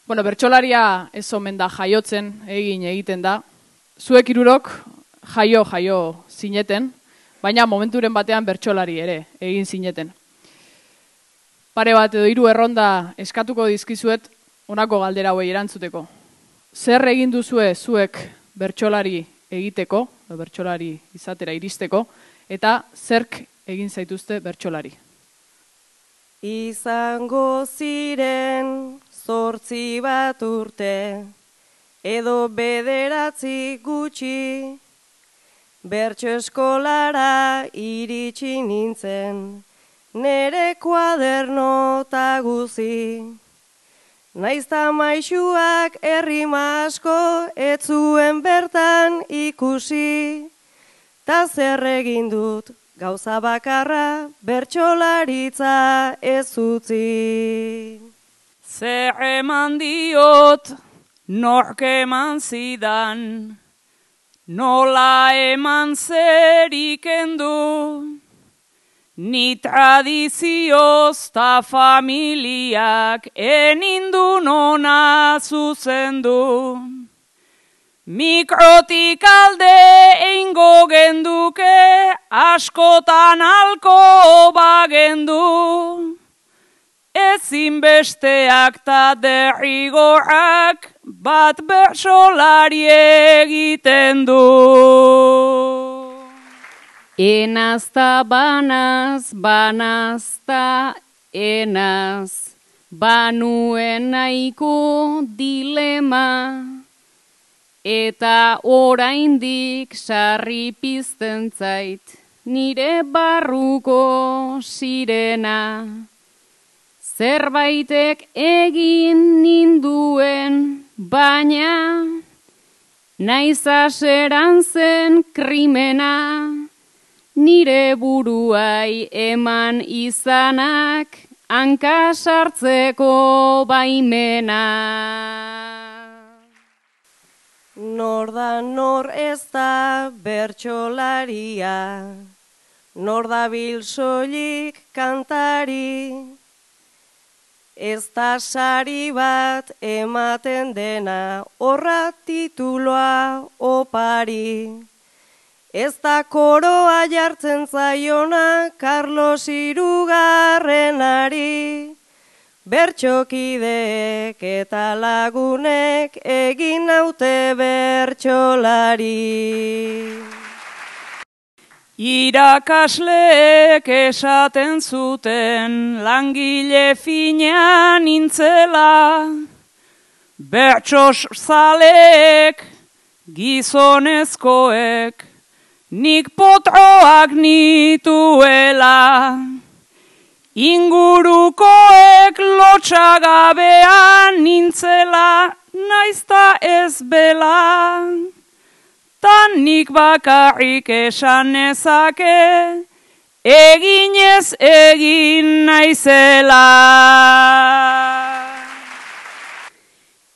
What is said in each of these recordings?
Bueno, bertsolaria ez omen da jaiotzen, egiten da. Zuek hirurok jaio zineten, baina momenturen batean bertsolari ere egin zineten. Pare bat edo 3 erronda eskatuko dizkizuet honako galdera hauei erantzuteko. Zer egin duzue zuek bertsolari egiteko, bertsolari izatera iristeko, eta zerk egin zaituzte bertsolari? Izango ziren 8 bat urte, edo 9 gutxi, bertso eskolara iritsi nintzen, nere kuadernota guzi. Naizta maisuak errima asko ez zuen bertan ikusi, ta zer egin dut gauza bakarra bertsolaritza ez utzi. Zer eman diot, nork eman zidan, nola eman zerik endu, ni tradizioz ta familiak enindu nona zuzendu. Mikrotik alde eingo genduke, askotan alko bagendu. Ezin besteak ta derrigorrak bat bertsolari egiten du. Enazta banaz, banazta enaz, banuen nahiko dilema, eta oraindik sarri pizten zait nire barruko sirena. Zerbaitek egin ninduen, baina naiz aseran zen krimena, nire buruai eman izanak hanka sartzeko baimena. Nor da nor ez da bertsolaria, nor dabil soilik kantari, ez da sari bat ematen dena horra tituloa opari. Ez da koroa jartzen zaiona Carlos Hirugarrenari, bertsokideek eta lagunek egin naute bertsolari. Irakasleek esaten zuten langile fina nintzela, bertsozaleek gizonezkoek nik potroak nituela. Ingurukoek lotxagabean nintzela, naizta ez bela. Tan nik bakarrik esan nezake, eginez egin naizela.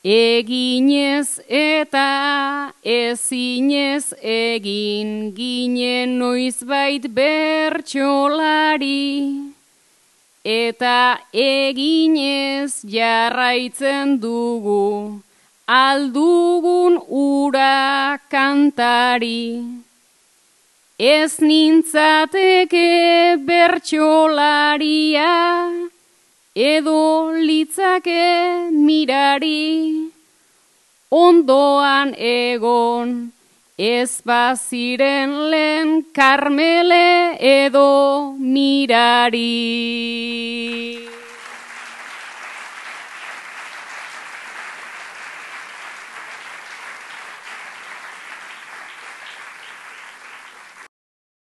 Eginez eta ezinez egin ginen noizbait bertsolari, eta eginez jarraitzen dugu aldugun ura kantari. Ez nintzateke bertsolaria, edo litzake mirari, ondoan egon ez baziren lehen Karmele edo mirari.